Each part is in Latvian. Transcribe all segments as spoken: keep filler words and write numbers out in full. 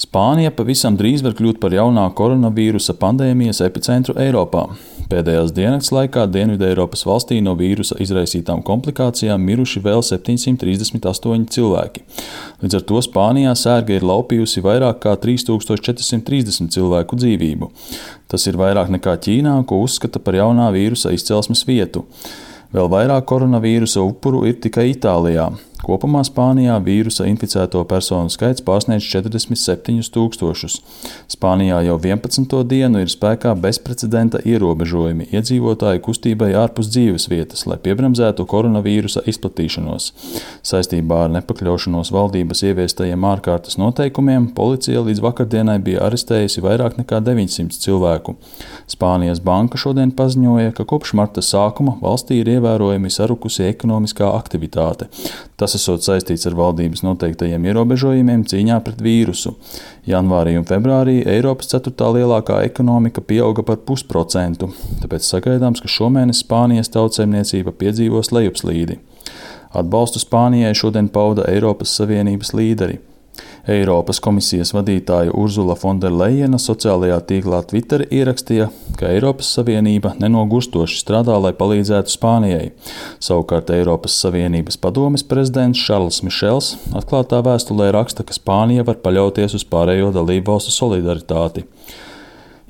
Spānija pavisam drīz var kļūt par jaunā koronavīrusa pandēmijas epicentru Eiropā. Pēdējās diennakts laikā Dienvideiropas valstī no vīrusa izraisītām komplikācijām miruši vēl septiņsimt trīsdesmit astoņi cilvēki. Līdz ar to Spānijā sērga ir laupījusi vairāk kā trīs tūkstoši četri simti trīsdesmit cilvēku dzīvību. Tas ir vairāk nekā Ķīnā, ko uzskata par jaunā vīrusa izcelsmes vietu. Vēl vairāk koronavīrusa upuru ir tikai Itālijā. Kopumā Spānijā vīrusa inficēto personu skaits pārsniedz četrdesmit septiņus tūkstošus. Spānijā jau vienpadsmito dienu ir spēkā bezprecedenta ierobežojumi iedzīvotāju kustībai ārpus dzīves vietas, lai piebremzētu koronavīrusa izplatīšanos. Saistībā ar nepakļaušanos valdības ieviestajiem ārkārtas noteikumiem policija līdz vakardienai bija arestējusi vairāk nekā deviņsimt cilvēku. Spānijas banka šodien paziņoja, ka kopš marta sākuma valstī ir ievērojami sarukusi ekonomiskā aktivitāte. Tas esot saistīts ar valdības noteiktajiem ierobežojumiem cīņā pret vīrusu. Janvārī un februārī Eiropas ceturtā lielākā ekonomika pieauga par pusprocentu, tāpēc sagaidāms, ka šomēnes Spānijas tautsaimniecība piedzīvos lejupslīdi. Atbalstu Spānijai šodien pauda Eiropas Savienības līderi. Eiropas komisijas vadītāja Urzula Fonderlejena sociālajā tīklā Twitter ierakstīja, ka Eiropas Savienība nenogurstoši strādā, lai palīdzētu Spānijai. Savukārt Eiropas Savienības padomes prezidents Šarls Mišels atklātā vēstulē raksta, ka Spānija var paļauties uz pārējo dalībvalstu solidaritāti.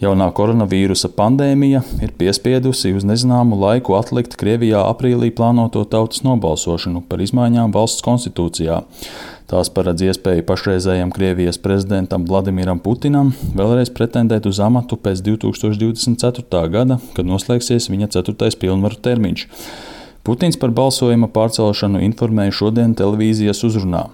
Jaunā koronavīrusa pandēmija ir piespiedusi uz nezināmu laiku atlikt Krievijā aprīlī plānoto tautas nobalsošanu par izmaiņām valsts konstitūcijā. Tās paredz iespēju pašreizējam Krievijas prezidentam Vladimiram Putinam vēlreiz pretendēt uz amatu pēc divi tūkstoši divdesmit ceturtā gada, kad noslēgsies viņa ceturtais pilnvaru termiņš. Putins par balsojuma pārcelšanu informēja šodien televīzijas uzrunā.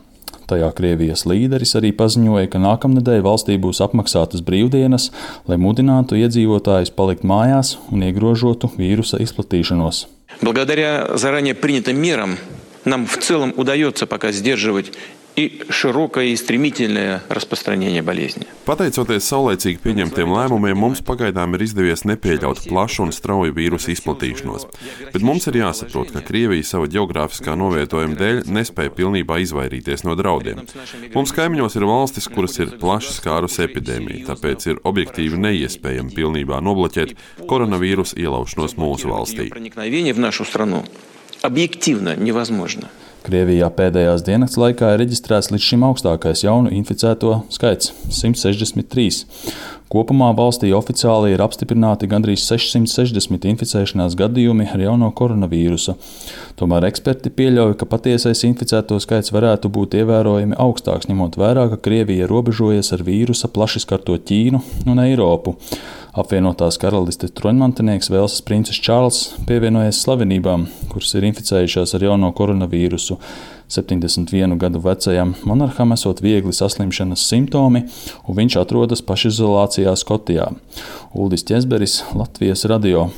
Tajā Krievijas līderis arī paziņoja, ka nākamnedēļ valstī būs apmaksātas brīvdienas, lai mudinātu iedzīvotājus palikt mājās un iegrožotu vīrusa izplatīšanos. Благодаря заранее принятым мерам нам в целом удается пока сдерживать и широкое и стремительное распространение болезни. Pateicoties saulēcīgi pieņemtiem lēmumiem, mums pagaidām ir izdevies nepieļaut plašu un strauju vīrusu izplatīšanos. Bet mums ir jāsaprot, ka Krievija savu ģeogrāfiskā novietojuma dēļ nespēja pilnībā izvairīties no draudiem. Mums kaimiņos ir valstis, kuras ir plaši skārusi epidēmija, tāpēc ir objektīvi neiespējami pilnībā nobloķēt koronavīrusa ielaušanos mūsu valstī. Objektīvi nevazможно. Krievijā pēdējās diennakts laikā ir reģistrēts līdz šim augstākais jaunu inficēto skaits – simt sešdesmit trīs. Kopumā valstī oficiāli ir apstiprināti gandrīz sešsimt sešdesmit inficēšanās gadījumi ar jauno koronavīrusu. Tomēr eksperti pieļauj, ka patiesais inficēto skaits varētu būt ievērojami augstāks, ņemot vērā, ka Krievija robežojas ar vīrusa plaši skarto Ķīnu un Eiropu. Apvienotās karalistes troņmantinieks Velsas princis Čārls pievienojies slavenībām, kuras ir inficējušās ar jauno koronavīrusu. septiņdesmit vienu gadu vecajam monarham esot viegli saslimšanas simptomi, un viņš atrodas pašizolācijā Skotijā. Uldis Ķezberis, Latvijas radio.